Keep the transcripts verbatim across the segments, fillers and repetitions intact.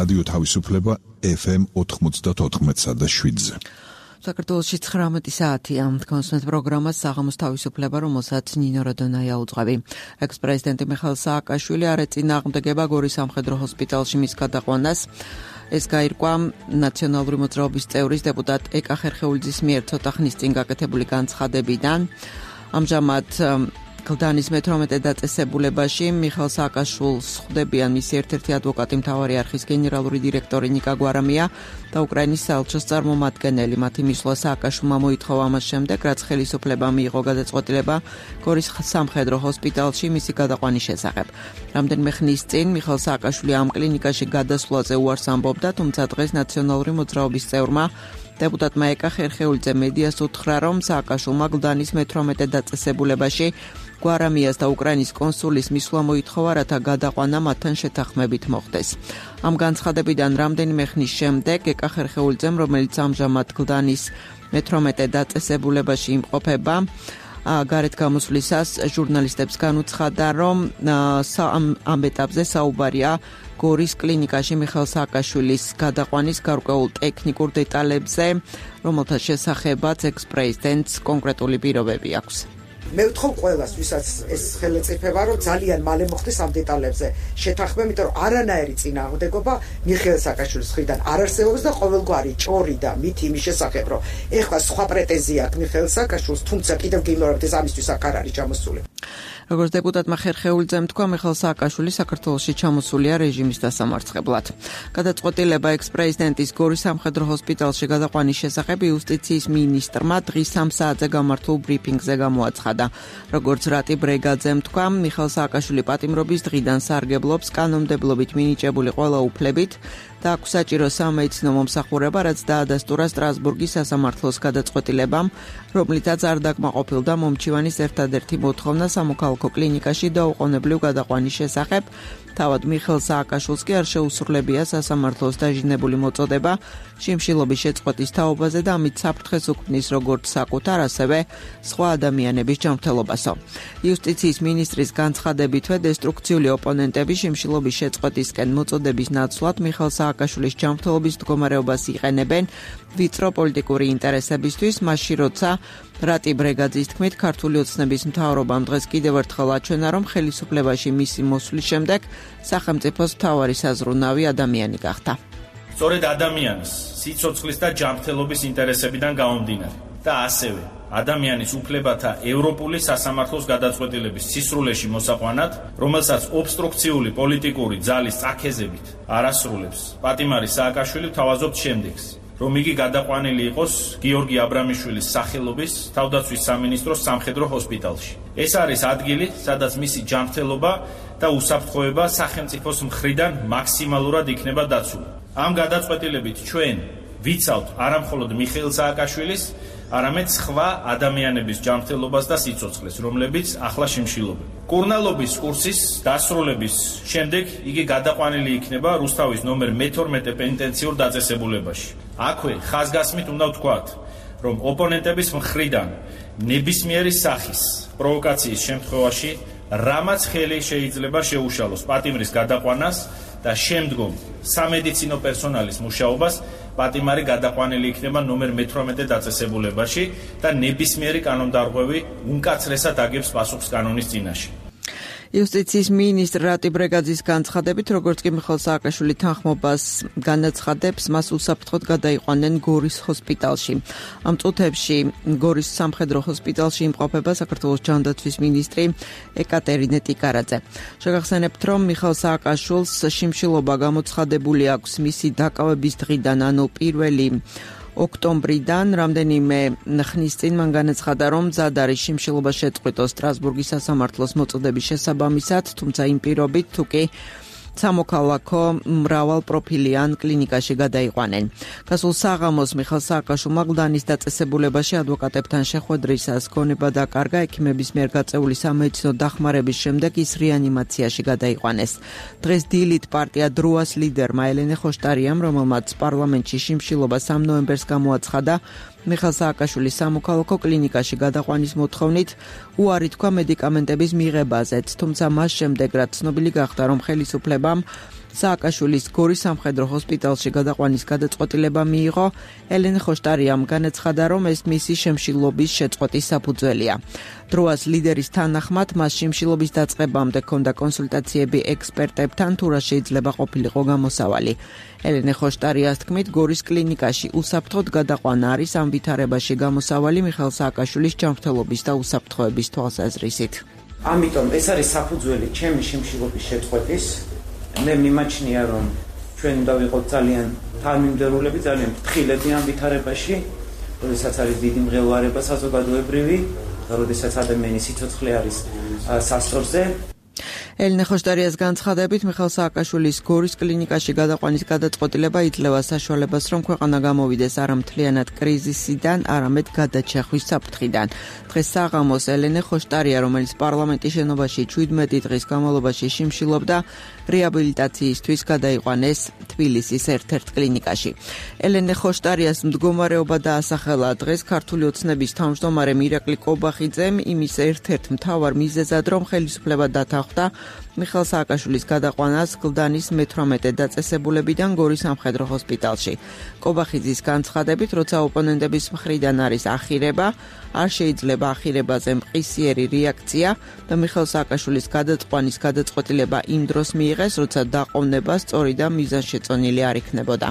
რადიო თავისუფლება ეფ ემ ოთხმოცდაოთხ და შვიდზე. საქართველოში ცხრამეტი საათია. კონსულტ პროგრამას საღამოს თავისუფლება, რომელსაც ნინო რადონაია უძღვები. ექს-პრეზიდენტი მიხეილ სააკაშვილი არ ეწინააღმდეგება გორის სამხედრო ჰოსპიტალში მის გადაყვანას. ეს გაირკვა ნაციონალური მოძრაობის წევრის დეპუტატ ეკა ხერხეულიძის მიერ ცოტა ხნის წინ გაკეთებული განცხადებიდან. ამჟამად კლდანის მეთორმეტე დაწესებულებაში მიხეილ სააკაშვილს ხვდებიან მისი ერთ-ერთი ადვოკატი, მთავარი არხის გენერალური დირექტორი ნიკა გვარამია და უკრაინის საელჩოს წარმომადგენელი. მათი მისვლა სააკაშვილმა მოითხოვა ამას შემდეგ, რაც ხელისუფლება მიიღო გადაწყვეტილება გორის სამხედრო ჰოსპიტალში მისი გადაყვანის შესახებ. რამდენიმე ხნის წინ მიხეილ სააკაშვილი ამ კლინიკაში გადასვლაზე უარს ამბობდა, თუმცა დღეს ნაციონალური მოძრაობის წევრმა დეპუტატმა ეკა ხერხეულიძე მედიას უთხრა, რომ სააკაშვილმა კლდანის მეთორმეტე დაწესებულებაში გვარამიას და უკრაინის კონსულის მისვლა მოითხოვა, რათა გადაყვანა მათთან შეთანხმებით მოხდეს. ამ განცხადებიდან რამდენიმე ხნის შემდეგ ეკა ხერხეულიძემ, რომელიც ამჟამად კლდანის მეთორმეტე დაწესებულებაში იმყოფება, გარეთ გამოსვლისას ჟურნალისტებს განუცხადა, რომ ამ ეტაპზე საუბარია გორის კლინიკაში მიხეილ სააკაშვილის გადაყვანის გარკვეულ ტექნიკურ დეტალებზე, რომელთა შესახებაც ექს-პრეზიდენტს კონკრეტული პირობები აქვს. მე ვთხოვ ყველას, ვისაც ეს ხელეწიფება, რომ ძალიან მალე მოხდეს ამ დეტალებზე შეთანხმება, იმიტომ რომ არანაირი წინააღმდეგობა მიხეილ სააკაშვილის მხრიდან არ არსებობს და ყოველგვარი ჭორი და მითი იმის შესახებ, რომ ეხლა სხვა პრეტენზია აქვს მიხეილ სააკაშვილს, თუმცა კიდევ გიმეორებთ, ეს ამისთვის აქ არ არის ჩამოსული. როგორც დეპუტატმა ხერხეულიძემ თქვა, მიხეილ სააკაშვილი საქართველოში ჩამოსულია რეჟიმის დასამარცხებლად. გადაწყვეტილება ექს-პრეზიდენტის გორის სამხედრო ჰოსპიტალში გადაყვანის შესახებ იუსტიციის მინისტრმა დღის სამ საათზე გამართულ ბრიფინგზე გამოაცხადა. როგორც რატი ბრეგაძემ თქვა, მიხეილ სააკაშვილი პატიმრობის დღიდან სარგებლობს კანონმდებლობით მინიჭებული ყველა უფლებით და აქვს საჭირო სამედიცინო მომსახურება, რაც დაადასტურა სტრასბურგის სასამართლოს გადაწყვეტილებამ, რომლითაც არ დაკმაყოფილდა მომჩივანის ერთადერთი მოთხოვნა სამოქალაქო კლინიკაში დაუყოვნებლივ გადაყვანის შესახებ. თავად მიხეილ სააკაშვილს კი არ შეუსრულებია სასამართლოს დაჟინებული მოწოდება შიმშილობის შეწყვეტის თაობაზე და ამით საფრთხეს უქმნის როგორც საკუთარ, ასევე სხვა ადამიანების ჯანმრთელობასო. იუსტიციის მინისტრის განცხადებითვე დესტრუქციული ოპონენტები შიმშილობის შეწყვეტისკენ მოწოდების ნაცვლად მიხეილ სააკაშვილის ჯანმრთელობის მდგომარეობას იყენებენ ვიწრო პოლიტიკური ინტერესებისთვის, მაშინ როცა რატი ბრეგაძის თქმით, ქართული ოცნების მთავრობამ დღეს კიდევ ერთხელ აჩვენა, რომ ხელისუფლებაში მისი მოსვლის შემდეგ სახელმწიფოს მთავარი საზრუნავი ადამიანი გახდა. სწორედ ადამიანის, სიცოცხლის და ჯანმრთელობის ინტერესებიდან გამომდინარე და ასევე ადამიანის უფლებათა ევროპული სასამართლოს გადაწყვეტილების სისრულეში მოსაყვანად, რომელსაც ობსტრუქციული პოლიტიკური ძალის წაქეზებით არ ასრულებს, პატიმარი სააკაშვილი ვთავაზობთ შემდეგს, რომ იგი გადაყვანილი იყოს გიორგი აბრამიშვილის სახელობის თავდაცვის სამინისტროს სამხედრო ჰოსპიტალში. ეს არის ადგილი, სადაც მისი ჯანმრთელობა და უსაფრთხოება სახელმწიფოს მხრიდან მაქსიმალურად იქნება დაცული. ამ გადაწყვეტილებით ჩვენ ვიცავთ არამხოლოდ მიხეილ სააკაშვილის, არამედ სხვა ადამიანების ჯანმრთელობას და სიცოცხლეს, რომლებიც ახლა შიმშილობენ. კურნალობის კურსის დასრულების შემდეგ იგი გადაყვანილი იქნება რუსთავის ნომერ მეთორმეტე პენიტენციურ დაწესებულებაში. აქვე ხაზგასმით უნდა ვთქვათ, რომ ოპონენტების მხრიდან ნებისმიერი სახის პროვოკაციის შემთხვევაში რამაც ხელი შეიძლება შეუშალოს პატიმრის გადაყვანას და შემდგომ სამედიცინო პერსონალის მუშაობას, პატიმარი გადაყვანილი იქნება ნომერ მეთორმეტე დაწესებულებაში და ნებისმიერი კანონდარღვევი უმკაცრესად აგებს პასუხს კანონის წინაშე. იუსტიციის მინისტრ რატი ბრეგაძის განცხადებით, როგორც კი მიხეილ სააკაშვილი თანხმობას განაცხადებს, მას უსაფრთხოდ გადაიყვანენ გორის ჰოსპიტალში. ამ წუთებში გორის სამხედრო ჰოსპიტალში იმყოფება საქართველოს ჯანდაცვის მინისტრი ეკატერინე ტიკარაძე. შეგახსენებთ, რომ მიხეილ სააკაშვილს შიმშილობა გამოცხადებული აქვს მისი დაკავების დღიდან, ანუ პირველი ოქტომბრიდან. რამდენიმე ხნის წინ მან განაცხადა, რომ მზად არის შიმშილობა შეწყვიტოს სტრასბურგის სასამართლოს მოწოდების შესაბამისად, თუმცა იმ პირობით, თუ კი სამოქალაქო მრავალპროფილიან კლინიკაში გადაიყვანენ. გასულ საღამოს მიხეილ სააკაშვილმა კლდანის დაწესებულებაში ადვოკატებთან შეხვედრისას გონება დაკარგა, ექიმების მიერ გაწეული სამედიცინო დახმარების შემდეგ ის რეანიმაციაში გადაიყვანეს. დღეს დილით პარტია დროას ლიდერმა ელენე ხოშტარიამ, რომელმაც პარლამენტში შიმშილობა სამ ნოემბერს გამოაცხადა, მიხეილ სააკაშვილის სამოქალაქო კლინიკაში გადაყვანის მოთხოვნით უარი თქვა მედიკამენტების მიღებაზეც, თუმცა მას შემდეგ, რაც ცნობილი გახდა, რომ ხელისუფლებამ სააკაშვილის გორის სამხედრო ჰოსპიტალში გადაყვანის გადაწყვეტილება მიიღო. ელენე ხოშტარიამ განაცხადა, რომ ეს მისი შემშილობის შეწყვეტის საფუძველია. დროას ლიდერის თანახმად მას შემშილობის დაწყებამდე ჰქონდა კონსულტაციები ექსპერტებთან, თუ რა შეიძლება ყოფილიყო გამოსავალი. ელენე ხოშტარიას თქმით, გორის კლინიკაში უსაფრთხოდ გადაყვანა არის ამ ვითარებაში გამოსავალი მიხეილ სააკაშვილის ჯანმრთელობის და უსაფრთხოების თვალსაზრისით. ამიტომ ეს არის საფუძველი ჩემი შემშილობის შეწყვეტის. მე მიმაჩნია, რომ ჩვენ უნდა ვიყოთ ძალიან თანმიმდევრულები, ძალიან ფრთხილები ამ ვითარებაში, როდესაც არის დიდი მღელვარება საზოგადოებრივი და როდესაც ადამიანის სიცოცხლე არის სასწორზე. ელენე ხოშტარიას განცხადებით, მიხეილ სააკაშვილის გორის კლინიკაში გადაყვანის გადაწყვეტილება იძლევა საშუალებას, რომ ქვეყანა გამოვიდეს არა მთლიანად კრიზისიდან, არამედ გადაჩახვის საფრთხიდან. დღეს საღამოს ელენე ხოშტარია, რომელიც პარლამენტის შენობაში შვიდმეტი დღის განმავლობაში შიმშილობდა, რეაბილიტაციისთვის გადაიყვანეს თბილისის ერთ-ერთ კლინიკაში. ელენე ხოშტარიას მდგომარეობა დაასახელა დღეს ქართული ოცნების თავმჯდომარემ ირაკლი კობახიძემ იმის ერთ-ერთ მთავარ მიზეზად, რომ ხელისუფლება დათანხმდა მიხეილ სააკაშვილის გადაყვანას გლდანის მეთვრამეტე დაწესებულებიდან გორის სამხედრო ჰოსპიტალში. კობახიძის განცხადებით, როცა ოპონენტების მხრიდან არის ახირება, არ შეიძლება ახირებაზე მყისიერი რეაქცია და მიხეილ სააკაშვილის გადაყვანის გადაწყვეტილება იმ დროს მიიღეს, როცა დაყოვნება სწორი და მიზანშეწონილი არ იქნებოდა.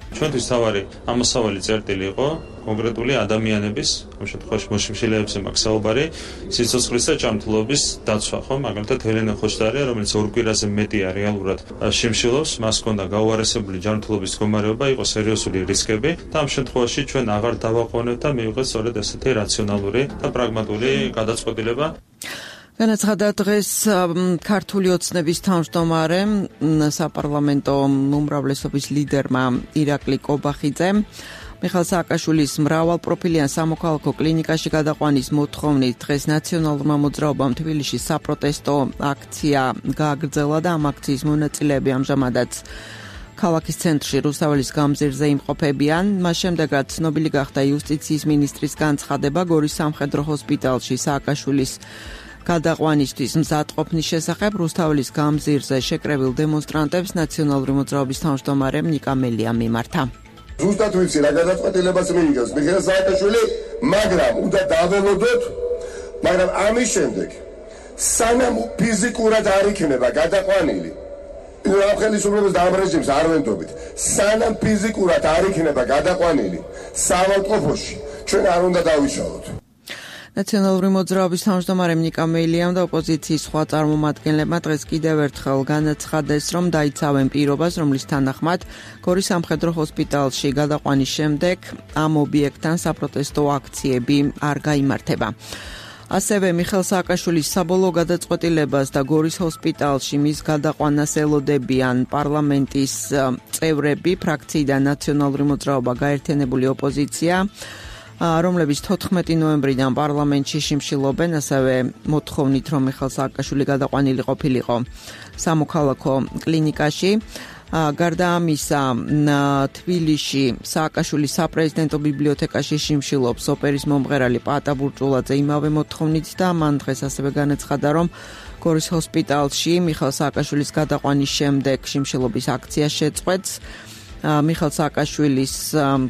ჩვენთვის თავარი ამოსავალი წერტილი იყო კონკრეტული ადამიანების, ამ შემთხვევაში მოშიმშილეებზე მაქვს საუბარი, სიცოცხლის და ჯანმრთელობის დაცვა, ხო? მაგალითად ელენე ხოშტარია, რომელიც ორ კვირაზე მეტია რეალურად შიმშილობს, მას ჰქონდა გაუარესებული ჯანმრთელობის მდგომარეობა, იყო სერიოზული რისკები და ამ შემთხვევაში ჩვენ აღარ დავაყოვნებთ და მივიღეთ სწორედ ესეთი რაციონალური და პრაგმატული გადაწყვეტილება. განაცხადა დღეს ქართული ოცნების თავმჯდომარემ საპარლამენტო უმრავლესობის ლიდერმა ირაკლი კობახიძემ მიხეილ სააკაშვილის მრავალპროფილიან სამოქალაქო კლინიკაში გადაყვანის მოთხოვნით დღეს ნაციონალურმა მოძრაობამ თბილისში საპროტესტო აქცია გააგრძელა და ამ აქციის მონაწილეები ამჟამადაც ქალაქის ცენტრში რუსთაველის გამზირზე იმყოფებიან. მას შემდეგ რაც ცნობილი გახდა იუსტიციის მინისტრის განცხადება გორის სამხედრო ჰოსპიტალში სააკაშვილის გადაყვანისთვის მზადყოფნის შესახებ, რუსთაველის გამზირზე შეკრებილ დემონსტრანტებს ნაციონალური მოძრაობის თავმჯდომარემ ნიკა მელიამ მიმართა. ზუსტად ვიცი რა გადაწყვეტილებას მიიღეს მიხეილ სააკაშვილი, მაგრამ უნდა დაველოდოთ, მაგრამ ამის შემდეგ სანამ ფიზიკურად არ იქნება გადაყვანილი, ამ ხელისუფლების და ამ რეჟიმს არ ვენდობით, სანამ ფიზიკურად არ იქნება გადაყვანილი საავადმყოფოში, ჩვენ არ უნდა დავიშალოთ. ნაციონალური მოძრაობის თავმჯდომარემ ნიკა მელიამ და ოპოზიციის სხვა წარმომადგენლებმა დღეს კიდევ ერთხელ განაცხადეს, რომ დაიცავენ პირობას, რომლის თანახმად გორის სამხედრო ჰოსპიტალში გადაყვანის შემდეგ ამ ობიექტთან საპროტესტო აქციები არ გაიმართება. ასევე მიხეილ სააკაშვილის საბოლოო გადაწყვეტილებას და გორის ჰოსპიტალში მის გადაყვანას ელოდებიან პარლამენტის წევრები, ფრაქციიდან ნაციონალური მოძრაობა, გაერთიანებული ოპოზიცია, რომლებიც თოთხმეტი ნოემბრიდან პარლამენტში შიმშილობენ, ასევე მოთხოვნით, რომ მიხეილ სააკაშვილი გადაყვანილი ყოფილიყო სამოქალაქო კლინიკაში. გარდა ამისა, თბილისში სააკაშვილის საპრეზიდენტო ბიბლიოთეკაში შიმშილობს ოპერის მომღერალი პაატა ბურჭულაძე იმავე მოთხოვნით და მან დღეს ასევე განაცხადა, რომ გორის ჰოსპიტალში მიხეილ სააკაშვილის გადაყვანის შემდეგ შიმშილობის აქცია შეწყვეტს. მიხეილ სააკაშვილის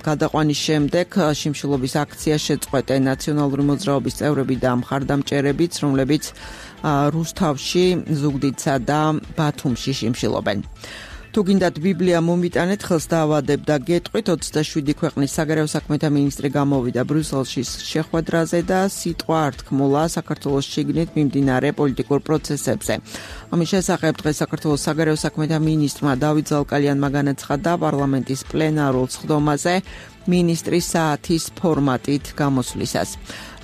გადაყვანის შემდეგ შიმშილობის აქცია შეწყვეტენ ნაციონალური მოძრაობის წევრები და მხარდამჭერებიც, რომლებიც რუსთავში, ზუგდიდსა და ბათუმში შიმშილობენ. თუ გინდათ ბიბლია მომიტანეთ, ხელს დაავადებ და გეტყვით. ოცდაშვიდი ქვეყნის საგარეო საქმეთა მინისტრი გამოვიდა ბრიუსელში შეხვედრაზე და სიტყვა არ თქმულა საქართველოს შიგნით მიმდინარე პოლიტიკურ პროცესებზე. ამის შესახებ დღეს საქართველოს საგარეო საქმეთა მინისტრმა დავით ზალკალიანმა განაცხადა პარლამენტის პლენარულ სხდომაზე მინისტრის საათის ფორმატით გამოსვლისას.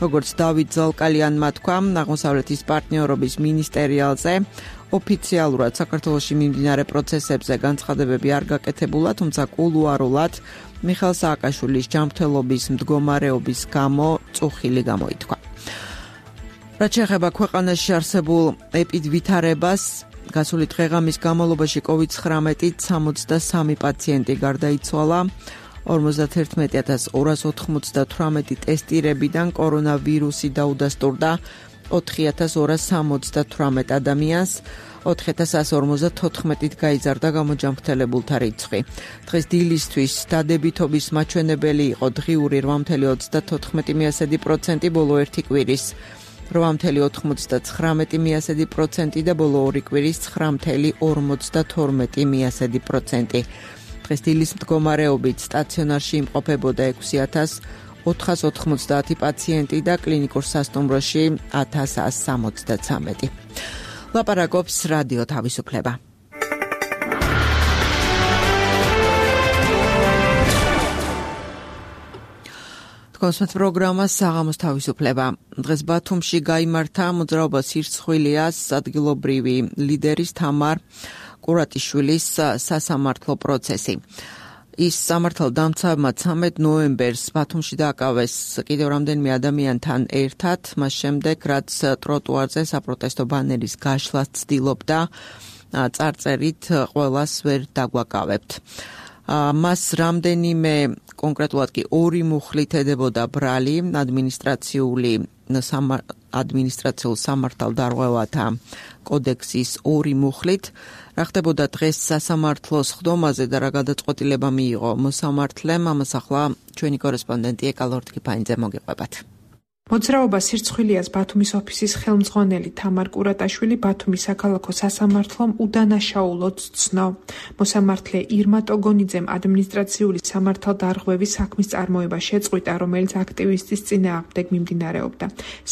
როგორც დავით ზალკალიანმა თქვა, აღმოსავლეთის პარტნიორობის მინისტერიალზე ოფიციალურად საქართველოში მიმდინარე პროცესებზე განცხადებები არ გაკეთებულა, თუმცა კულუარულად მიხეილ სააკაშვილის ჯანმრთელობის მდგომარეობის გამო წუხილი გამოითქვა. რაც შეეხება ქვეყანაში არსებულ ეპიდვითარებას, გასული დღეღამის განმავლობაში კოვიდ ცხრამეტით სამოცდასამი პაციენტი გარდაიცვალა. ორმოცდაერთმეტი ათას ორას ოთხმოცდათვრამეტი ტესტირებიდან კორონავირუსი დაუდასტურდა ოთხი ათას ორას სამოცდათვრამეტ ადამიანს. ოთხი ათას εκατო ორმოცდათოთხმეტით გაიზარდა გამოჯანმრთელებულთა რიცხვი. დღეს დილისთვის დადებითობის მაჩვენებელი იყო დღიური რვა ათეული ოცდათოთხმეტი პროცენტი ბოლო ერთი კვირის, რვა ათეული ოთხმოცდათხრამეტი პროცენტი და ბოლო ორი კვირის ცხრა ათეული ორმოცდათორმეტი პროცენტი. დღეს დილის მდგომარეობით სტაციონარში იმყოფებოდა ექვსი ათას ოთხას ოთხმოცდაათი პაციენტი და კლინიკურ სასტუმროში ათას ასი სამოცდაცამეტი. ლაპარაკობს რადიო თავისუფლება. კონსვენთ პროგრამა საღამოს თავისუფლება. დღეს ბათუმში გაიმართა მოძრაობა სირცხვილიას ადგილობრივი ლიდერის თამარ კურატიშვილის სასამართლო პროცესი. ის სამართალდამცავებმა ცამეტ ნოემბერს ბათუმში დააკავეს კიდევ რამდენიმე ადამიანთან ერთად, მას შემდეგ რაც ტროტუარზე საპროტესტო ბანერის გაშლას ცდილობდა წარწერით ყველას ვერ დაგვაკავებთ. მას რამდენიმე კონკრეტულად კი ორი მუხლით ედებოდა ბრალი ადმინისტრაციული ადმინისტრაციულ სამართალდარღვევათა კოდექსის ორი მუხლით. რა ხდებოდა დღეს სასამართლოს ხდომაზე და რა გადაწყვეტილება მიიღო მოსამართლემ, ამას ახლა ჩვენი კორესპონდენტი ეკა ლორთქიფანიძე მოგიყვებათ. მოძრაობა სირცხვილიას ბათუმის ოფისის ხელმძღვანელი თამარ კურატაშვილი ბათუმის საქალაქო სასამართლომ უდანაშაულოდ ცნო. მოსამართლე ირმა ტოგონიძემ ადმინისტრაციული სამართალდარღვევის საქმის წარმოება შეწყვიტა, რომელიც აქტივისტის წინააღმდეგ მიმდინარეობდა.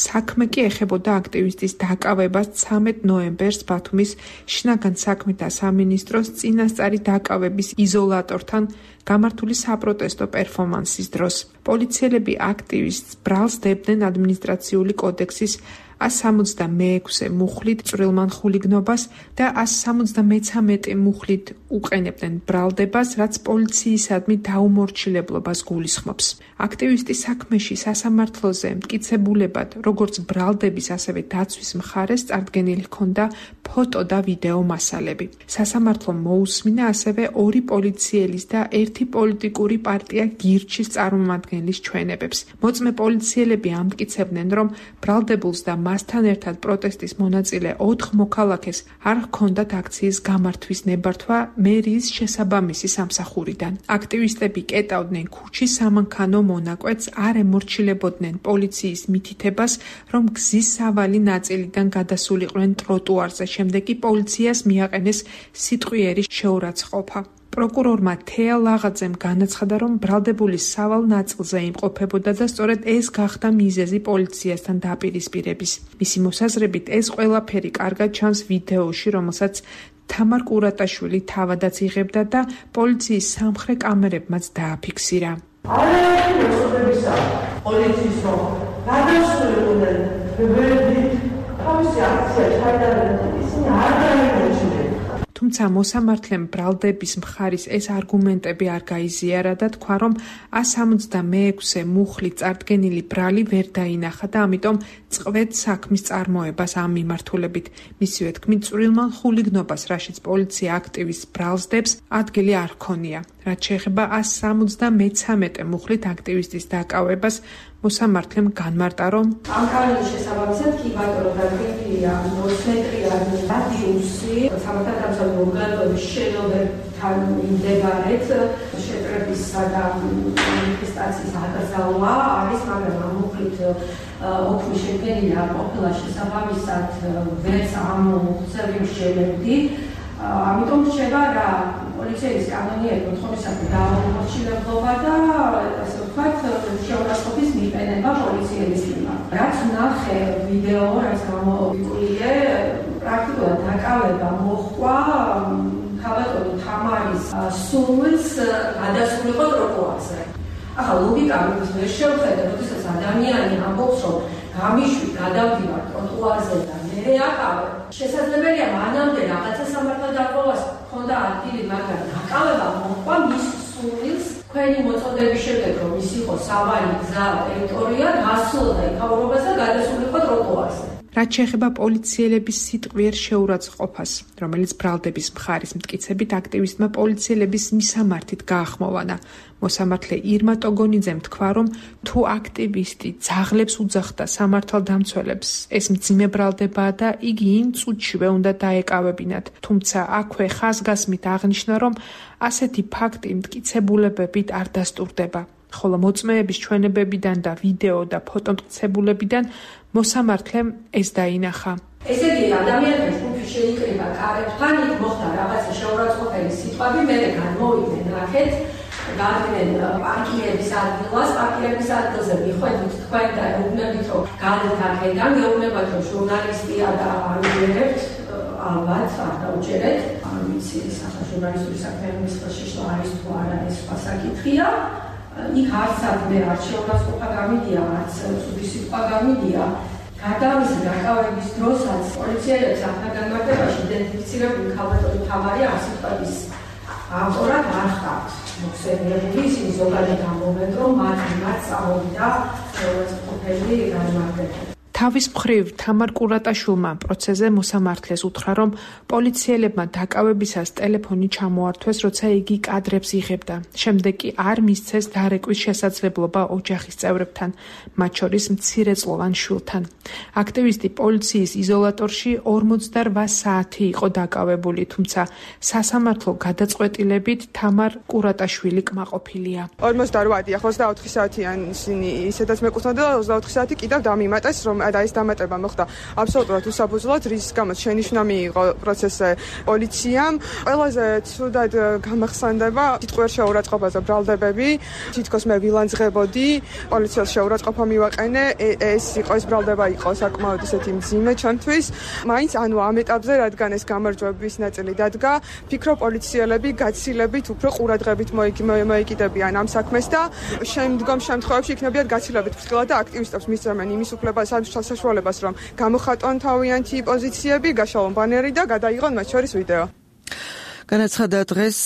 საქმე კი ეხებოდა აქტივისტის დაკავებას ცამეტ ნოემბერს ბათუმის შინაგან საქმეთა სამინისტროს წინასწარი დაკავების იზოლატორთან გამართული საპროტესტო პერფორმანსის დროს. პოლიციელები აქტივისტს ბრალს დებდნენ ადმინისტრაციული კოდექსის ას სამოცდამეექვსე მუხლით წვრილმან ხულიგნობას და ას სამოცდამეცამეტე მუხლით უყენებდნენ ბრალდებას, რაც პოლიციისადმი დაუმორჩილებლობას გულისხმობს. აქტივისტის საქმეში სასამართლოზე მტკიცებულებად, როგორც ბრალდების, ასევე დაცვის მხარეს წარდგენილი ჰქონდა ფოტო და ვიდეო მასალები. სასამართლომ მოусმინა ასევე ორი პოლიციელის და ერთი პოლიტიკური პარტია გირჩის წარმომადგენლის ჩვენებებს. მოწმე პოლიციელები ამტკიცებდნენ, რომ ბრალდებულს და მასთან ერთად პროტესტის მონაწილე ოთხ მოქალაქეს არ ჰქონდათ აქციის გამართვის ნებართვა მერიის შესაბამისი სამსახურიდან. აქტივისტები კეტავდნენ ქუჩის სამანქანო მონაკვეთს, არ ემორჩილებოდნენ პოლიციის მითითებას, რომ გზის სავალი ნაწილიდან გადასულიყვნენ ტროტუარზე, შემდეგ კი პოლიციას მიაყენეს სიტყვიერი შეურაცხყოფა. პროკურორმა თეა ლაღაძემ განაცხადა, რომ ბრალდებულის სავალ ნაწილზე იმყოფებოდა და სწორედ ეს გახდა მიზეზი პოლიციასთან დაპირისპირების. მისი მოსაზრებით ეს ყველაფერი კარგად ჩანს ვიდეოში, რომელსაც თამარ კურატაშვილი თავადაც იღებდა და პოლიციის სამხრე კამერებმაც დააფიქსირა. არაერთი მოსწრებისა პოლიციის რომ გადასულიყვნენ ვერდით თავისი აქცია ჩაიტარებდნენ, ისინი არ დაიმორჩილებდნენ. თუმცა მოსამართლემ ბრალდების მხარის ეს არგუმენტები არ გაიზიარა და თქვა, რომ ას სამოცდამეექვსე მუხლით წარდგენილი ბრალი ვერ დაინახა და ამიტომ წყვეტ საქმის წარმოებას ამ მიმართულებით. მისივე თქმით, წვრილმან ხულიგნობას, რაშიც პოლიცია აქტივისტს ბრალს დებს, ადგილი არ ჰქონია. რაც შეეხება ას სამოცდამეცამეტე მუხლით აქტივისტის დაკავებას, მოსამართლემ განმარტა, რომ ამ კანონის შესაბამისად კი ბატონო დაგეგმილია მოსმენტრია რადიუსი სამართალდამცავი ორგანოების შენობებთან მიმდებარედ შეტრებისა და მანიფესტაციის აკრძალვა არის, მაგრამ ამ მუხლით ოქმი შედგენილი არ ყოფილა შესაბამისად ვერც ამ ცევი შელებდი. ამიტომ რჩება რა პოლიციის კანონიერი მოთხოვნისაკენ დაუმორჩილებლობა და ასე ვთქვათ შეურაცხყოფის მიყენება პოლიციის მიმართ. რაც ნახე ვიდეო, რაც გამოვიკვლიე, პრაქტიკულად დაკავება მოჰყვა ქალბატონი თამარის სულს გადასულიყო ტროტუარზე. ახლა ლოგიკა ვერ შევხედე, როდესაც ადამიანი ამბობს, რომ გამიშვი გადავდივარ ტროტუარზე და მე აკავე. შესაძლებელია მანამდე რაღაცა სამართალდარღვევას ჰქონდა ადგილი, მაგრამ დაკავება მოჰყვა მის სულს. თქვენი მოწოდების შემდეგ, რომ ის იყო სავალი გზა ტერიტორია, გასულოდა იქაურობას და გადასულიყო ტროტუარზე. რაც შეეხება პოლიციელების სიტყვიერ შეურაცხყოფას, რომელიც ბრალდების მხარის მტკიცებით აქტივისტმა პოლიციელების მისამართით გაახმოვანა. მოსამართლე ირმა ტოგონიძემ თქვა, რომ თუ აქტივისტი ძაღლებს უძახდა სამართალდამცველებს, ეს მძიმე ბრალდებაა და იგი იმ წუთშივე უნდა დაეკავებინათ. თუმცა აქვე ხაზგასმით აღნიშნა, რომ ასეთი ფაქტი მტკიცებულებებით არ დასტურდება. ხოლო მოწმეების ჩვენებებიდან და ვიდეო და ფოტომტკიცებულებიდან მოსამართლემ ეს დაინახა. ესე იგი, ადამიანების ჯგუფი შეიკრიბა კარებთან, იქ მოხდა რაღაცა შეურაცხყოფელი სიტყვები, მერე განმოვიდნენ რაკეთ, გადავიდნენ პარკირების ადგილას, პარკირების ადგილზე მიხვედრით თქვენ და ეუბნებით, რომ გადეთ აქედან, გეუბნებათ, რომ ჟურნალისტია და არ უჯერებთ, ალბათ, არ დაუჯერეთ. არ ვიცი, სახა ჟურნალისტური საქმეების ხელში შლა არის თუ არა, ეს სხვა საკითხია. იქ არც ადმე არ შეურაცხყოფა გამიდია, არც ცუდი სიტყვა გამიდია. გარდა ამისა, დაკავების დროსაც პოლიციელებს ახალგაზრდებაში იდენტიფიცირებული ქალბატონი თამარი ამ სიტყვების ავტორად არ ხართ. მოხსენიებული ისინი ზოგადად ამბობენ, რომ მათ მიმართ წამოვიდა შეურაცხყოფელი განმარტება. თავის მხრივ თამარ კურატაშვილმა პროცესზე მოსამართლეს უთხრა, რომ პოლიციელებმა დაკავებისას ტელეფონი ჩამოართვეს, როცა იგი კადრებს იღებდა. შემდეგ კი არ მისცეს დარეკვის შესაძლებლობა ოჯახის წევრებთან, მათ შორის მცირეწლოვან შვილთან. აქტივისტი პოლიციის იზოლატორში ორმოცდარვა საათი იყო დაკავებული, თუმცა სასამართლო გადაწყვეტილებით თამარ კურატაშვილი კმაყოფილია. ორმოცდარვა ათი ოცდაოთხი საათიან ისინი ისედაც მეკუთვნოდა და ოცდაოთხი საათი კიდევ დამიმატეს, რომ და ეს დამატება მოხდა აბსოლუტურად უსაფუძვლოდ, რის გამოც შენიშვნა მიიღო პროცესზე პოლიციამ. ყველაზე ცუდად გამახსენდება სიტყვიერ შეურაცხყოფაზე ბრალდებები. თითქოს მე ვილანძღებოდი, პოლიციას შეურაცხყოფა მივაყენე, ეს იყო ეს ბრალდება იყო საკმაოდ ისეთი მძიმე ჩემთვის. მაინც ანუ ამ ეტაპზე, რადგან ეს გამარჯვების ნაწილი დადგა, ფიქრობ პოლიციელები გაცილებით უფრო ყურადღებით მოიკიდებიან ამ საქმეს და შემდგომ შემთხვევებში იქნებიან გაცილებით ფრთხილად და აქტივისტებს მისცემენ იმის უფლებას საშუალებას, რომ გამოხატონ თავიანთი პოზიციები, გაშალონ ბანერი და გადაიღონ მათ შორის ვიდეო. განაცხადა დღეს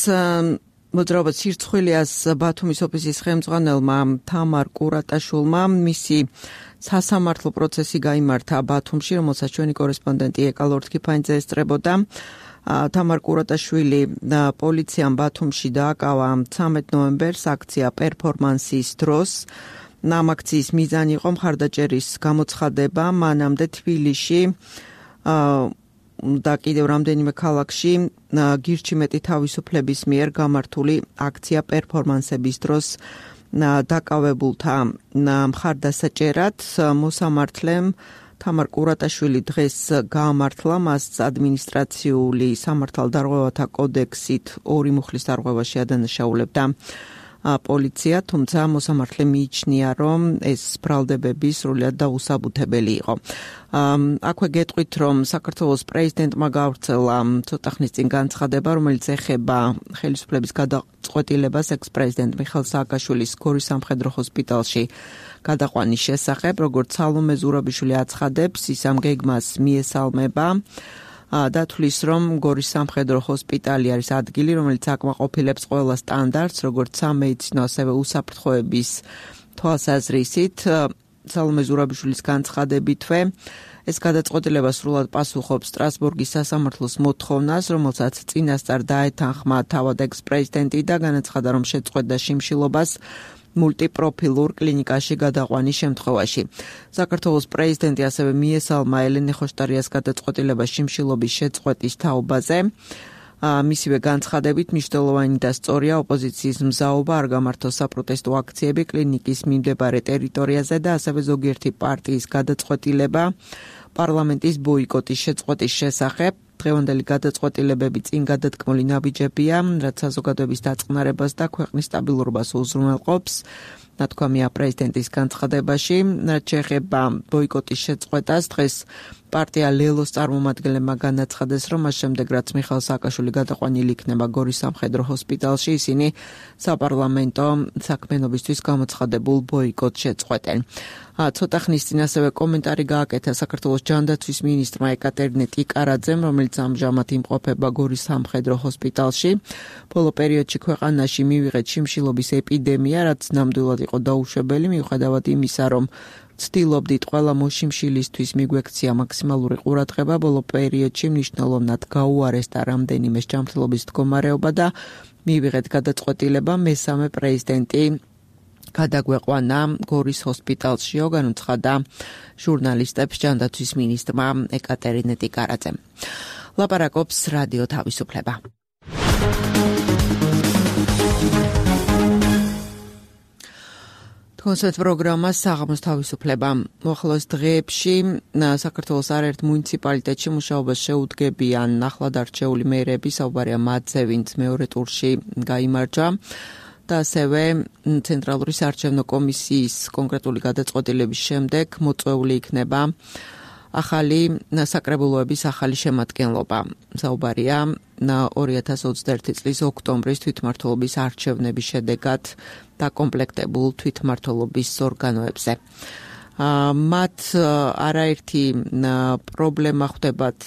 მოძრაობა სირცხვილიას ბათუმის ოფისის ხელმძღვანელმა თამარ კურატაშვილმა, მისი სასამართლო პროცესი გაიმართა ბათუმში, რომელსაც ჩვენი კორესპონდენტი ეკა ლორთქიფანიძე ესწრებოდა. თამარ კურატაშვილი პოლიციამ ბათუმში დააკავა ცამეტ ნოემბერს აქცია პერფორმანსის დროს. ამ აქციის მიზანი იყო მხარდაჭერის გამოცხადება, მანამდე თბილისში და კიდევ რამდენიმე ქალაქში გირჩი მეტი თავისუფლების მიერ გამართული აქცია პერფორმანსების დროს დაკავებულთა მხარდასაჭერად მოსამართლემ თამარ კურატაშვილი დღეს გაამართლა მას ადმინისტრაციული სამართალდარღვევათა კოდექსით ორი მუხლის დარღვევაში ადანაშაულებდა პოლიცია, თუმცა მოსამართლე მიიჩნია, რომ ეს ბრალდებები სრულად დაუსაბუთებელი იყო. აქვე გეტყვით, რომ საქართველოს პრეზიდენტმა გავრცელა ცოტა ხნის წინ განცხადება, რომელიც ეხება ხელისუფლების გადაწყვეტილებას ექს-პრეზიდენტ მიხეილ სააკაშვილის გორის სამხედრო ჰოსპიტალში გადაყვანის შესახებ, როგორც სალომე ზურაბიშვილი აცხადებს, ის ამ გეგმას მიესალმება. დათვლის, რომ გორის სამხედრო ჰოსპიტალი არის ადგილი, რომელიც აკმაყოფილებს ყველა სტანდარტს, როგორც სამედიცინო, ასევე უსაფრთხოების თვალსაზრისით. სალომე ზურაბიშვილის განცხადებითვე, ეს გადაწყვეტილება სრულად პასუხობს სტრასბურგის სასამართლოს მოთხოვნას, რომელსაც წინასწარ დაეთანხმა თავად ექს-პრეზიდენტი და განაცხადა, რომ შეწყვეტდა შიმშილობას მულტიპროფილურ კლინიკაში გადაყვანის შემთხვევაში. საქართველოს პრეზიდენტი ასევე მიესალმა ელენე ხოშტარიას გადაწყვეტილება შიმშილობის შეწყვეტის თაობაზე. მისივე განცხადებით მნიშვნელოვანი და სწორია ოპოზიციის მზაობა არ გამართოს საპროტესტო აქციები კლინიკის მიმდებარე ტერიტორიაზე და ასევე ზოგიერთი პარტიის გადაწყვეტილება პარლამენტის ბოიკოტის შეწყვეტის შესახებ. დღევანდელი გადაწყვეტილებები წინ გადადგმული ნაბიჯებია, რაც საზოგადოების დაწყნარებას და ქვეყნის სტაბილურობას უზრუნველყოფს. ნათქვამია პრეზიდენტის განცხადებაში, რაც შეეხება ბოიკოტის შეწყვეტას, დღეს პარტია ლელოს წარმომადგენლებმა განაცხადეს, რომ მას შემდეგ, რაც მიხეილ სააკაშვილი გადაყვანილი იქნება გორის სამხედრო ჰოსპიტალში, ისინი საპარლამენტო საქმიანობისთვის გამოცხადებულ ბოიკოტს შეწყვეტენ. ცოტა ხნის წინ ასევე კომენტარი გააკეთა საქართველოს ჯანდაცვის მინისტრმა ეკატერინე ტიკარაძემ, რომელიც ამჟამად იმყოფება გორის სამხედრო ჰოსპიტალში. ბოლო პერიოდში ქვეყანაში მივიღეთ შიმშილობის ეპიდემია, რაც ნამდვილად იყო დაუშვებელი, მიუხედავად იმისა, რომ ვცდილობდით ყველა მოშიმშილისთვის მიგვექცია მაქსიმალური ყურადღება, ბოლო პერიოდში მნიშვნელოვნად გაუარესდა რამდენიმე ჯანმრთელობის მდგომარეობა და მივიღეთ გადაწყვეტილება მესამე პრეზიდენტი გადაგვეყვანა გორის ჰოსპიტალშიო, განუცხადა ჟურნალისტებს ჯანდაცვის მინისტრმა ეკატერინე ტიკარაძემ. ლაპარაკობს რადიო თავისუფლება. კონცერტ პროგრამა საღამოს თავისუფლება. მოახლოეს დღეებში საქართველოს არაერთ მუნიციპალიტეტში მუშაობას შეუდგებიან ახლად არჩეული მეერები, საუბარია მათზე, ვინც მეორე ტურში გაიმარჯვა. და ასევე ცენტრალური საარჩევნო კომისიის კონკრეტული გადაწყვეტილების შემდეგ მოწვეული იქნება ახალი საკრებულოების ახალი შემადგენლობა. საუბარია ორი ათას ოცდაერთი წლის ოქტომბრის თვითმმართველობის არჩევნების შედეგად დაკომპლექტებულ თვითმმართველობის ორგანოებზე. მათ არაერთი პრობლემა ხვდებათ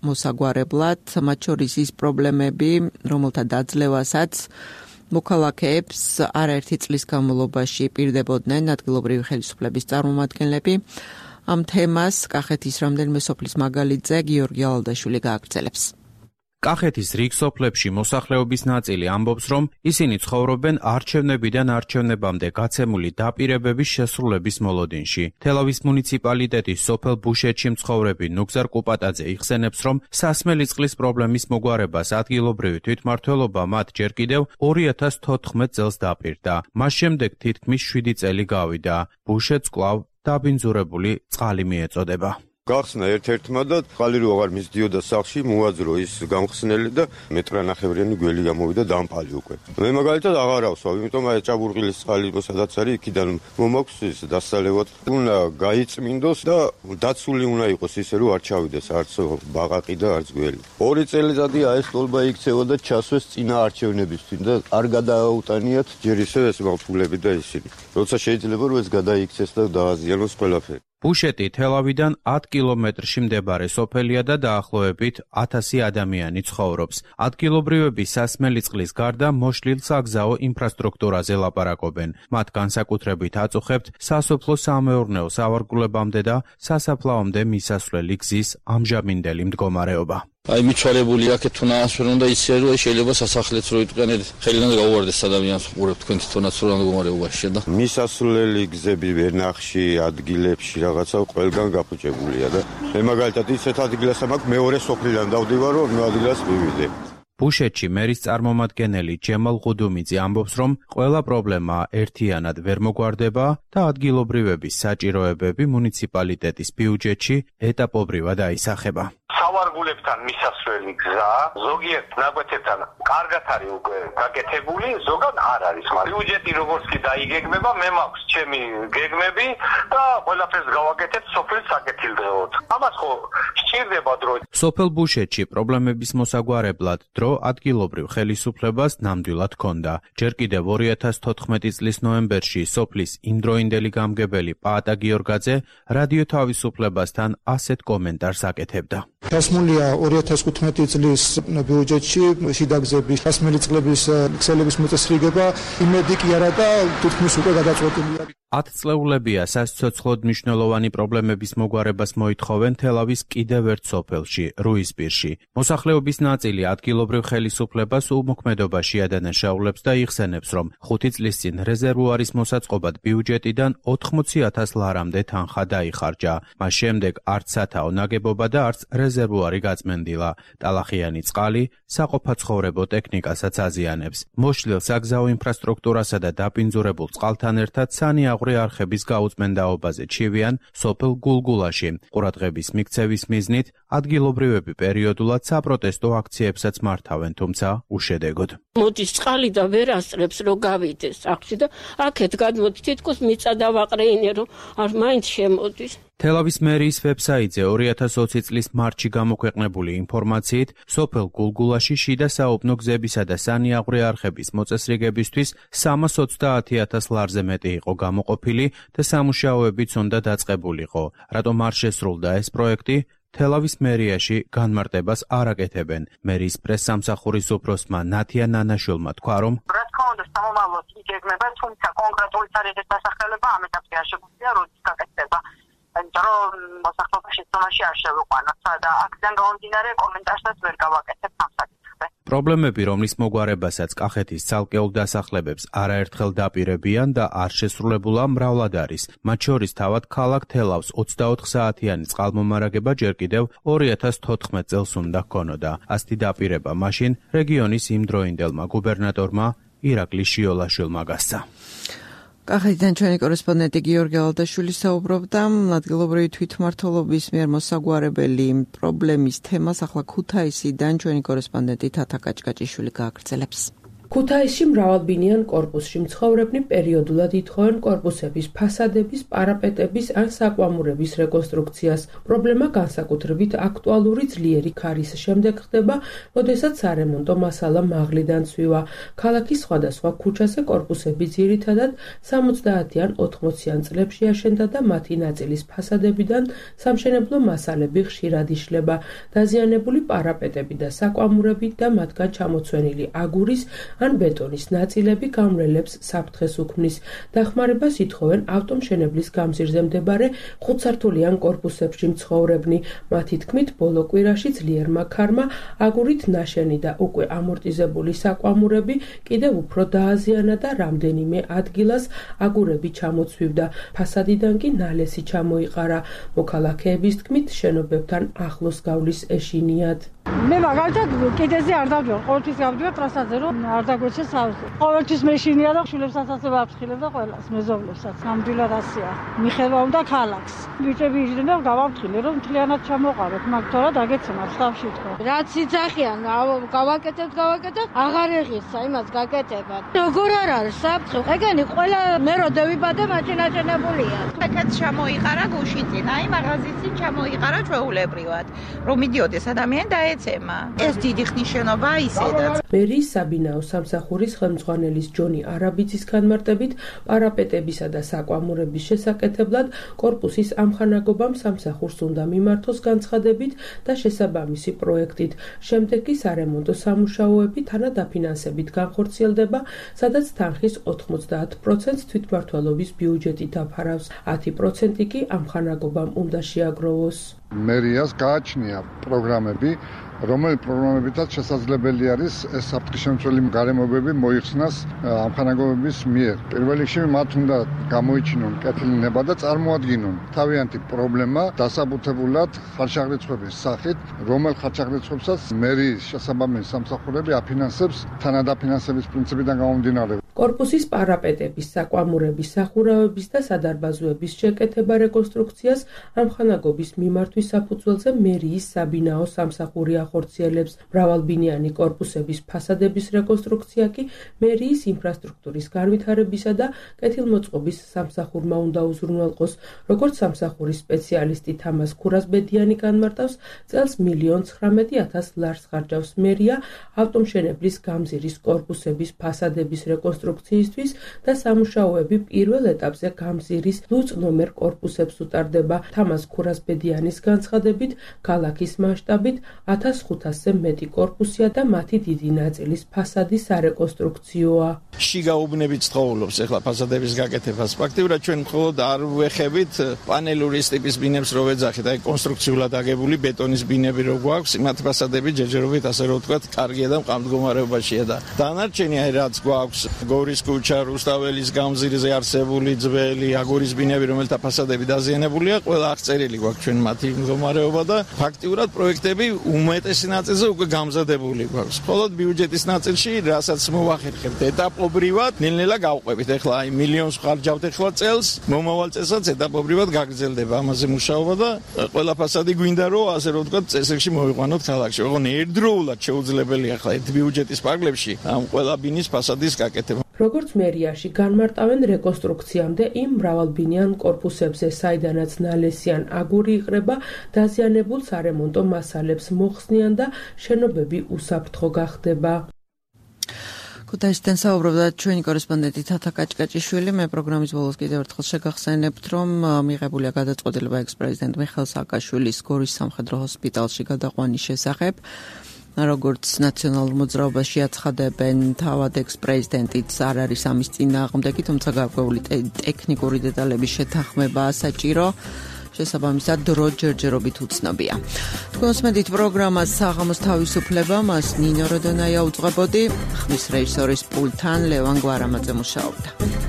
მოსაგვარებლად, მათ შორის ის პრობლემები, რომელთა დაძლევასაც მოქალაქეებს არაერთი წლის განმავლობაში პირდებოდნენ ადგილობრივი ხელისუფლების წარმომადგენლები. ამ თემას კახეთის რამდენიმე სოფლის მაგალითზე გიორგი ალალდაშვილი გააგრძელებს. კახეთის რიგ სოფლებში მოსახლეობის ნაწილი ამბობს, რომ ისინი ცხოვრობენ არჩევნებიდან არჩევნებამდე გაცემული დაპირებების შესრულების მოლოდინში. თელავის მუნიციპალიტეტის სოფელ ბუშეთში მცხოვრები ნუგზარ კუპატაძე იხსენებს, რომ სასმელი წყლის პრობლემის მოგვარებას ადგილობრივი თვითმმართველობა მათ ჯერ კიდევ ორი ათას თოთხმეტ წელს დაპირდა. მას შემდეგ თითქმის შვიდი წელი გავიდა. ბუშეთს კვლავ დაბინძურებული წყალი მიეწოდება. გახსნა ერთ-ერთმა და წყალი რო აღარ მისდიოდა სახლში, მოაძრო ის გამხსნელი და მეტრანახევრიანი გველი გამოვიდა დამპალი უკვე. მე მაგალითად აღარ ავსვავ, იმიტომ აი ჭაბურღილის წყალი სადაც არის, იქიდან მომაქვს ის დასალევად. უნდა გაიწმინდოს და დაცული უნდა იყოს ისე, რომ არ ჩავიდეს არც ბაყაყი და არც გველი. ორი წელიწადია ეს სტოლბა იქცევა და ჩასვეს წინა არჩევნებისთვის და არ გადააუტანიათ ჯერ ისე ეს მართულები და ისინი. როცა შეიძლება რომ ეს გადაიქცეს და დააზიანოს ყველაფერი. ბუშეტი თელავიდან ათ კილომეტრში მდებარე სოფელია და დაახლოებით ათასი ადამიანი ცხოვრობს. ადგილობრივები სასმელი წყლის გარდა მოშლილ საგზაო ინფრასტრუქტურაზე ლაპარაკობენ. მათ განსაკუთრებით აწუხებთ სასოფლო-სამეურნეო სავარგულებამდე და სასაფლაომდე მისასვლელი გზის ამჟამინდელი მდგომარეობა. აი მიცვალებული აქეთ თუ ნაასვენონ და ისე რომ შეიძლება სასახლეც რო იტყენეთ ხელიდან გაუვარდეს ადამიანს უყურებთ თქვენ თვითონაც რო მდგომარეობაში და მისასვლელი გზები ვერნახში ადგილებში რაღაცა ყველგან გაფუჭებულია და მე მაგალითად ისეთ ადგილას მაქვს მეორე სოფლიდან დავდივარ რომ ნუ ადგილას მივიდე. ბუშეთში მერის წარმომადგენელი ჯემალ ღუდუმიძე ამბობს, რომ ყველა პრობლემა ერთიანად ვერ მოგვარდება და ადგილობრივების საჭიროებები მუნიციპალიტეტის ბიუჯეტში ეტაპობრივად აისახება. სავარგულებთან მისასვლელი გზა ზოგიერთ ნაკვეთებთან კარგად არის უკვე გაკეთებული, ზოგად არ არის, მაგრამ ბიუჯეტი როგორც კი დაიგეგმება, მე მაქვს ჩემი გეგმები და ყველაფერს გავაკეთებ სოფლის საკეთილდღეოდ. ამას ხო სჭირდება დრო. სოფელ ბუშეთში პრობლემების მოსაგვარებლად დრო ადგილობრივ ხელისუფლებას ნამდვილად ჰქონდა. ჯერ კიდევ ორი ათას თოთხმეტი წლის ნოემბერში სოფლის იმდროინდელი გამგებელი პაატა გიორგაძე რადიო თავისუფლებასთან ასეთ კომენტარს აკეთებდა. დასმულია ორი ათას თხუთმეტი წლის ბიუჯეტში შიდაგზების სასმელი წყლების ქსელების მოწესრიგება, იმედი კი არა და თითქმის უკვე გადაწყვეტილია. ათწლეულებია სასიცოცხლოდ მნიშვნელოვანი პრობლემების მოგვარებას მოითხოვენ თელავის კიდევ ერთ სოფელში, რუისპირში. მოსახლეობის ნაწილი ადგილობრივ ხელისუფლებას უმოქმედობაში ადანაშაულებს და იხსენებს, რომ ხუთი წლის წინ რეზერვუარის მოსაწყობად ბიუჯეტიდან ოთხმოცი ათას ლარამდე თანხა დაიხარჯა. მას შემდეგ არც სათაო ნაგებობა და არც რეზერვუარი გაწმენდილა. ტალახიანი წყალი საყოფაცხოვრებო ტექნიკასაც აზიანებს. მოშლილ საგზაო ინფრასტრუქტურასა და დაბინძურებულ წყალთან ერთად სანიაღვრე არხების გაუწმენდაობაზე ჩივიან სოფელ გულგულაში. ყურადღების მიქცევის მიზნით ადგილობრივები პერიოდულად საპროტესტო აქციებსაც მართავენ, თუმცა უშედეგოდ. მოდის წყალი და ვერ ასწრებს რომ გავიდეს სახლში და აქეთ გადმოდი თითქოს მიწა დავაყრეინე რომ არ მაინც შემოდის. თელავის მერიის ვებსაიტზე ორი ათას ოცი წლის მარტში გამოქვეყნებული ინფორმაციით, სოფელ გულგულაში შიდა საუბნო გზებისა და სანიაღვრე არხების მოწესრიგებისთვის სამას ოცდაათი ათას ლარზე მეტი იყო გამოყოფილი და სამუშაოებიც უნდა დაწყებულიყო. რატომ არ შესრულდა ეს პროექტი? თელავის მერიაში განმარტებას არ აკეთებენ. მერიის პრესსამსახურის უფროსმა ნათია ნანაშვილმა თქვა, რომ რა თქმა უნდა, სამომავლოდ იგეგმება, თუმცა კონკრეტული თარიღის დასახელება ამ ეტაპზე არ შეგვიძლია, როდის გაკეთდება. იმიტომ რომ მოსახლეობის შეცდომაში არ შევიყვანოთ და აქედან გამომდინარე კომენტარსაც ვერ გავაკეთებ ამ საკითხზე. პრობლემები, რომლის მოგვარებასაც კახეთის ცალკეულ დასახლებებს არაერთხელ დაპირებიან და არ შესრულებულა მრავლად არის. მათ შორის თავად ქალაქ თელავს ოცდაოთხ საათიანი წყალმომარაგება ჯერ კიდევ ორი ათას თოთხმეტ წელს უნდა ჰქონოდა. ასეთი დაპირება მაშინ რეგიონის იმდროინდელმა გუბერნატორმა ირაკლი შიოლაშვილმა გასცა. კახეთიდან ჩვენი კორესპონდენტი გიორგი ალდაშვილი საუბრობდა ადგილობრივი თვითმმართველობის მიერ მოსაგვარებელი პრობლემის თემას. ახლა ქუთაისიდან ჩვენი კორესპონდენტი თათა კაჭკაჭიშვილი გააგრძელებს. ქუთაისში მრავალბინიან კორპუსში მცხოვრებნი პერიოდულად ითხოვენ კორპუსების ფასადების, პარაპეტების ან საკვამურების რეკონსტრუქციას. პრობლემა განსაკუთრებით აქტუალური ძლიერი ქარის შემდეგ ხდება, როდესაც სარემონტო მასალა მაღლიდან ცვივა. ქალაქის სხვადასხვა ქუჩაზე კორპუსები ძირითადად სამოცდაათიან ოთხმოციან წლებში აშენდა და მათი ნაწილის ფასადებიდან სამშენებლო მასალები ხშირად იშლება. დაზიანებული პარაპეტები და საკვამურები და მათგან ჩამოცვენილი აგურის ან ბეტონის ნაწილები გამრელებს საფრთხეს უქმნის. დახმარებას ითხოვენ ავტომშენებლის გამზირზე მდებარე ხუთსართულიან კორპუსებში მცხოვრებნი. მათი თქმით, ბოლო კვირაში ძლიერმა ქარმა აგურით ნაშენი და უკვე ამორტიზებული საკვამურები კიდევ უფრო დააზიანა და რამდენიმე ადგილას აგურები ჩამოცვივდა. ფასადიდან კი ნალესი ჩამოიყარა. მოქალაქეების თქმით, შენობებთან ახლოს გავლის ეშინიათ. მე მაგალითად კიდეზე არ დავდივარ, ყოველთვის გავდივარ ტრასაზე, რომ არ დაგვეცეს ავზე. ყოველთვის მეშინია და შვილებსაც ასე ვაფრთხილებ და ყველას, მეზობლებსაც. ნამდვილად ასეა. მიხება უნდა ქალაქს. ბიჭები იჯდნენ და გავაფრთხილე, რომ მთლიანად ჩამოყაროთ, მაგ თორა დაგეცემათ ხავში თქო. რაც იძახიან, გავაკეთებთ, გავაკეთებთ, აღარ ეღირსა იმას გაკეთებათ. როგორ არ არის საფრთხე? ეგენი ყველა მე რო დავიბადე მაჩინაჩენებულია. აკაც ჩამოიყარა გუში წინ, აი მაღაზიის წინ ჩამოიყარა ჩვეულებრივად, რომ მიდიოდეს ადამიანი და ეცემა. ეს დიდი ხნის შენობა ისედაც. მერიის საბინაო სამსახურის ხელმძღვანელის ჯონი არაბიძის განმარტებით, პარაპეტებისა და საკვამურების შესაკეთებლად კორპუსის ამხანაგობამ სამსახურს უნდა მიმართოს განცხადებით და შესაბამისი პროექტით. შემდეგ კი სარემონტო სამუშაოები თანადაფინანსებით განხორციელდება, სადაც თანხის ოთხმოცდაათ პროცენტს თვითმმართველობის ბიუჯეტი დაფარავს, ათი პროცენტი კი ამხანაგობამ უნდა შეაგროვოს. მერიას გააჩნია პროგრამები, რომელი პროგრამებითაც შესაძლებელი არის ეს საფრთხისმცემელი გარემოებები მოიხსნას ამხანაგობების მიერ. პირველ რიგში მათ უნდა გამოიჩინონ კეთილი ნება და წარმოადგინონ თავიანთი პრობლემა დასაბუთებულად ხარჯაღრიცხვების სახით, რომელ ხარჯაღრიცხვებსაც მერიის შესაბამისი სამსახურები აფინანსებს თანადაფინანსების პრინციპიდან გამომდინარე. კორპუსის პარაპეტების, საკვამურების, სახურავების და სადარბაზოების შეკეთება რეკონსტრუქციას ამხანაგობის მიმართვის საფუძველზე მერიის საბინაო სამსახური ახორციელებს. მრავალბინიანი კორპუსების ფასადების რეკონსტრუქცია კი მერიის ინფრასტრუქტურის განვითარებისა და კეთილმოწყობის სამსახურმა უნდა უზრუნველყოს. როგორც სამსახურის სპეციალისტი თამას ქურასბედიანი განმარტავს, წელს მილიონ ცხრამეტი ათას ლარს ხარჯავს მერია ავტომშენებლის გამზირის კორპუსების ფასადების რეკონსტრუქციისთვის და სამუშაოები პირველ ეტაპზე გამზირის ლუწ ნომერ კორპუსებს უტარდება. თამას ქურასბედიანის განცხადებით, ქალაქის მასშტაბით ათას ხუთასზე მეტი კორპუსია და მათი დიდი ნაწილის ფასადი სარეკონსტრუქციოა. შიგაუბნებით ცხოვრობს ახლა ფასადების გაკეთებას. ფაქტიურად ჩვენ მხოლოდ არ ვეხებით პანელური ტიპის ბინებს რო ვეძახით, აი კონსტრუქციულად აგებული ბეტონის ბინები რო გვაქვს, მათ ფასადები ჯერჯერობით ასე რო ვთქვათ, კარგია და მყამდგომარეობაშია და დანარჩენი აი რაც გვაქვს, გორის ქუჩა, რუსთაველის გამზირზე არსებული ძველი აგურის ბინები, რომელთა ფასადები დაზიანებულია, ყველა აღწერილი გვაქვს ჩვენ მათი მდგომარეობა და ფაქტიურად პროექტები უმეტესი ნაწილზე უკვე გამზადებული გვაქვს. მხოლოდ ბიუჯეტის ნაწილში, რასაც მოვახერხებთ ეტაპობრივად, ნელ-ნელა გავყვებით. ახლა აი მილიონს ხარჯავთ ახლა წელს, მომავალ წელსაც ეტაპობრივად გაგრძელდება ამაზე მუშაობა და ყველა ფასადი გვინდა რომ ასე რომ ვთქვათ, წესრიგში მოვიყვანოთ ქალაქში. ოღონდ ერთდროულად შეუძლებელია ახლა ერთ ბიუჯეტის პარკლებში ამ ყველა ბინის ფასადის გაკეთება. როგორც მერიაში განმარტავენ, რეკონსტრუქციამდე იმ მრავალბინიან კორპუსებზე, საიდანაც ნალესიან აგური იყრება, დაზიანებულ სარემონტო მასალებს მოხსნიან და შენობები უსაფრთხო გახდება. ქუთაისიდან საუბრობდა ჩვენი კორესპონდენტი თათა კაჭკაჭიშვილი. მე პროგრამის ბოლოს კიდევ ერთხელ შეგახსენებთ, რომ მიღებულია გადაწყვეტილება ექს-პრეზიდენტ მიხეილ სააკაშვილის გორის სამხედრო ჰოსპიტალში გადაყვანის შესახებ. როგორც ნაციონალურ მოძრაობაში აცხადებენ, თავად ექს-პრეზიდენტიც არ არის ამის წინააღმდეგი, თუმცა გარკვეული ტექნიკური დეტალების შეთანხმებაა საჭირო. შესაბამისად დრო ჯერჯერობით უცნობია. თქვენ უსმენთ პროგრამას საღამოს თავისუფლება, მას ნინო როდონაია უძღვებოდი, ხმის რეჟისორის პულტთან ლევან გვარამაძე მუშაობდა.